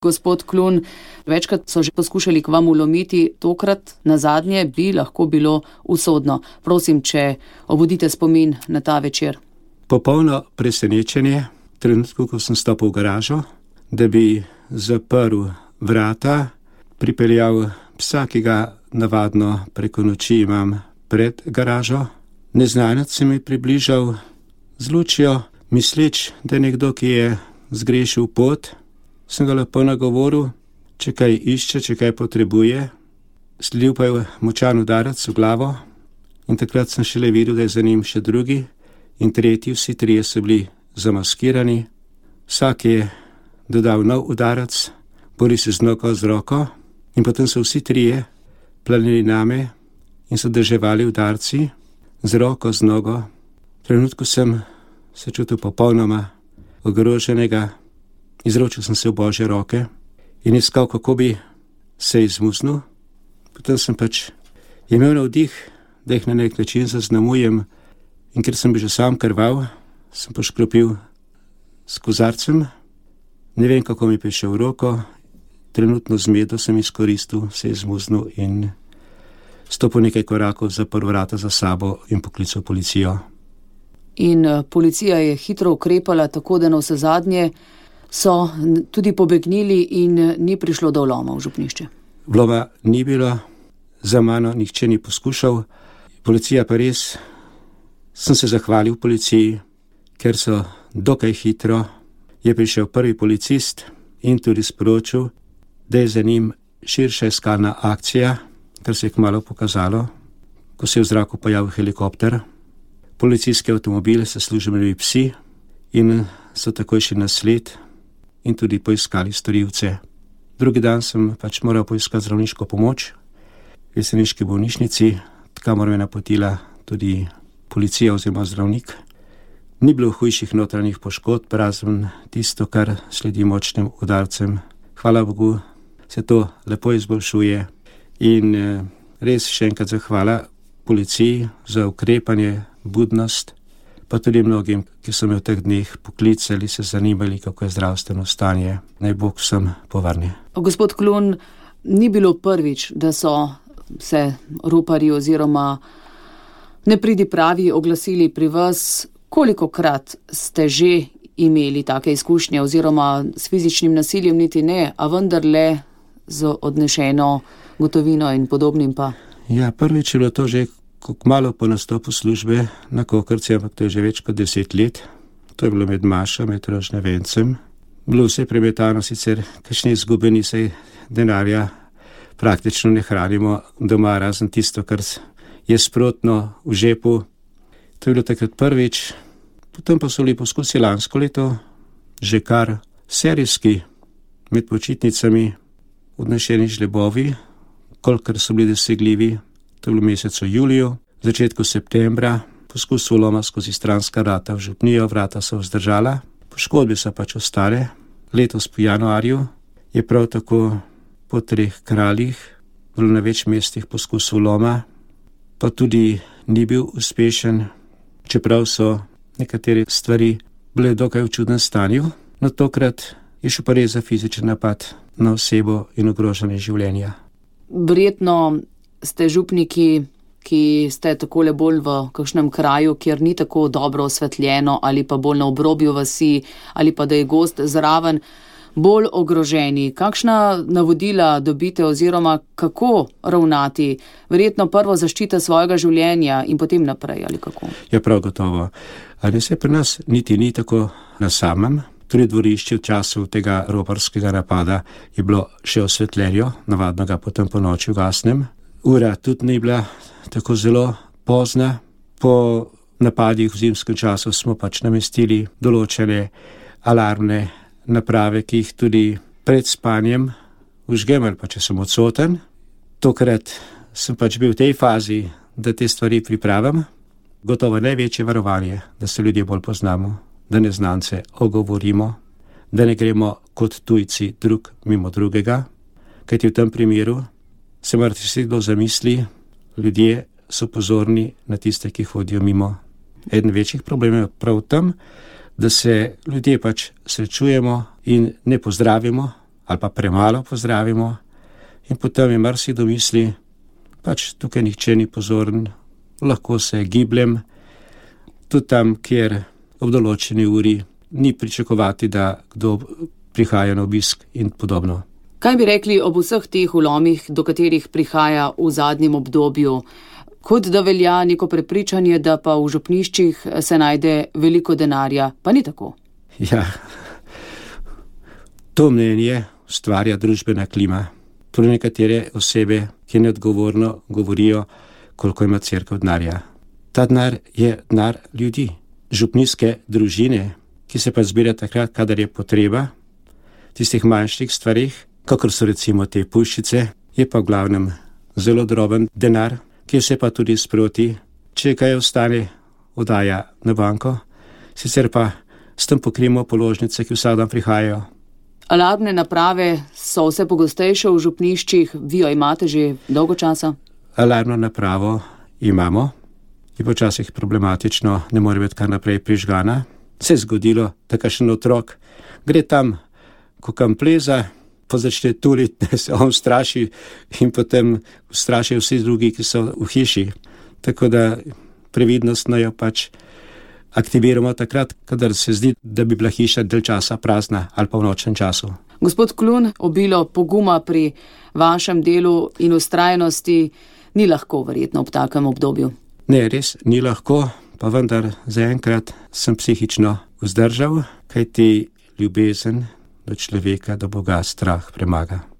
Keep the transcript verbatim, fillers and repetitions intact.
Gospod Klun, večkrat so že poskušali k vam vlomiti, tokrat nazadnje bi lahko bilo usodno. Prosim, če obudite spomin na ta večer. Popolno presenečenje, trenutku, ko sem stopil v garažo, da bi zaprl vrata, pripeljal psa, ki ga navadno preko noči imam pred garažo. Neznanec se mi približal z lučjo, misleč, da je nekdo, ki je zgrešil pot. Sem ga lepo nagovoril, če kaj išče, če kaj potrebuje. Sledil pa je močan udarec v glavo in takrat sem šele videl, da je za njim še drugi in tretji, vsi trije so bili zamaskirani. Vsak je dodal nov udarec, bori se z nogo, z roko in potem so vsi trije planili name in so drževali udarci z roko, z nogo. V trenutku sem se čutil popolnoma ogroženega. Izročil sem se v Božje roke in iskal, kako bi se izmuznil. Potem sem pač imel navdih, da jih na nek način zaznamujem in ker sem bil že sam krval, sem poškropil s kozarcem. Ne vem, kako mi je prišel v roko, trenutno zmedo sem izkoristil, se izmuznil in stopil nekaj korakov, zaprl vrata za sabo in poklical policijo. In policija je hitro ukrepala, tako da na vsezadnje so tudi pobegnili in ni prišlo do vloma v župnišče. Vloma ni bilo, za mano nihče ni poskušal. Policija pa res, sem se zahvalil policiji, ker so dokaj hitro, je prišel prvi policist in tudi sporočil, da je za njim širša iskalna akcija, kar se je kmalu pokazalo, ko se je v zraku pojavil helikopter. Policijski avtomobil se služili psi in so takoj šli na sled in tudi poiskali storilce. Drugi dan sem pač moral poiskati zdravniško pomoč v jeseniški bolnišnici, kamor me napotila tudi policija oziroma zdravnik. Ni bilo hujših notranjih poškodb, razen tisto, kar sledi močnim udarcem. Hvala Bogu, se to lepo izboljšuje in res še enkrat zahvala policiji za ukrepanje, budnost, pa tudi mnogim, ki so me v teh dneh poklicali, se zanimali, kako je zdravstveno stanje. Naj Bog vsem povrne. Gospod Klun, ni bilo prvič, da so se roparji oziroma nepridipravi oglasili pri vas. Kolikokrat ste že imeli take izkušnje oziroma s fizičnim nasiljem niti ne, a vendarle z odnešeno gotovino in podobnim pa? Ja, prvič je bilo to že kmalu po nastopu službe na Kokrci, ampak to je že več kot deset let. To je bilo med Mašo, med Rožnevencem. Bilo vse premetano, sicer kakšne izgubeni, saj denarja praktično ne hranimo doma, razen tisto, kar je sprotno v žepu. To je bilo takrat prvič. Potem pa so bili poskusi lansko leto že kar serijski, med počitnicami odnešeni žlebovi, kolikor so bili dosegljivi. To je bilo v mesecu juliju, v začetku septembra, poskus vloma skozi stranska vrata v župnijo, vrata so vzdržala, poškodbe so pač ostale. Letos po januarju je prav tako po treh kraljih bilo na več mestih poskus vloma, pa tudi ni bil uspešen, čeprav so nekatere stvari bile dokaj v čudnem stanju, no tokrat je šel pa res za fizičen napad na osebo in ogrožanje življenja. Verjetno ste župniki, ki ste takole bolj v kakšnem kraju, kjer ni tako dobro osvetljeno ali pa bolj na obrobju vasi ali pa da je gozd zraven, bolj ogroženi. Kakšna navodila dobite oziroma kako ravnati? Verjetno prvo zaščita svojega življenja in potem naprej ali kako? Ja, prav gotovo. Ali se pri nas niti ni tako na samem. Tudi dvorišče v času tega roparskega napada je bilo še osvetljeno, navadno ga potem po noči ugasnem. Ura tudi ni bila tako zelo pozna. Po napadih v zimskem času smo pač namestili določene alarmne naprave, ki jih tudi pred spanjem vžgem ali pa če sem odsoten. Tokrat sem pač bil v tej fazi, da te stvari pripravim. Gotovo največje varovanje, da se ljudje bolj poznamo, da neznance ogovorimo, da ne gremo kot tujci drug mimo drugega, kajti v tem primeru se morate si kdo zamisli, ljudje so pozorni na tiste, ki hodijo mimo. Eden večjih problemov je prav v tem, da se ljudje pač srečujemo in ne pozdravimo, ali pa premalo pozdravimo in potem je marsikdo misli, pač tukaj nihče ni pozoren, lahko se gibljem, tudi tam, kjer ob določeni uri ni pričakovati, da kdo prihaja na obisk in podobno. Kaj bi rekli ob vseh teh vlomih, do katerih prihaja v zadnjem obdobju? Kot da velja neko prepričanje, da pa v župniščih se najde veliko denarja, pa ni tako. Ja, to mnenje ustvarja družbena klima. Tudi nekatere osebe, ki neodgovorno govorijo, koliko ima cerkev denarja. Ta denar je denar ljudi, župnijske družine, ki se pa zbira takrat, kadar je potreba, tistih manjših stvarih, kakor so recimo te puščice, je pa v glavnem zelo droben denar, ki se pa tudi sproti, če kaj ostane, oddaja na banko, sicer pa s tem pokrijemo položnice, ki vsak dan prihajajo. Alarmne naprave so vse pogostejše v župniščih, vi jo imate že dolgo časa? Alarmno napravo imamo, je počasih problematično, ne more biti kar naprej prižgana. Se je zgodilo, da kakšen otrok gre tam, ko kam pleza, pa začne tuliti, da se on straši in potem strašijo vsi drugi, ki so v hiši. Tako da previdnostno jo pač aktiviramo takrat, kadar se zdi, da bi bila hiša del časa prazna ali pa v nočnem času. Gospod Klun, obilo poguma pri vašem delu in vztrajnosti ni lahko verjetno ob takem obdobju. Ne, res ni lahko, pa vendar zaenkrat sem psihično vzdržal, kajti ljubezen do človeka, do Boga strah premaga.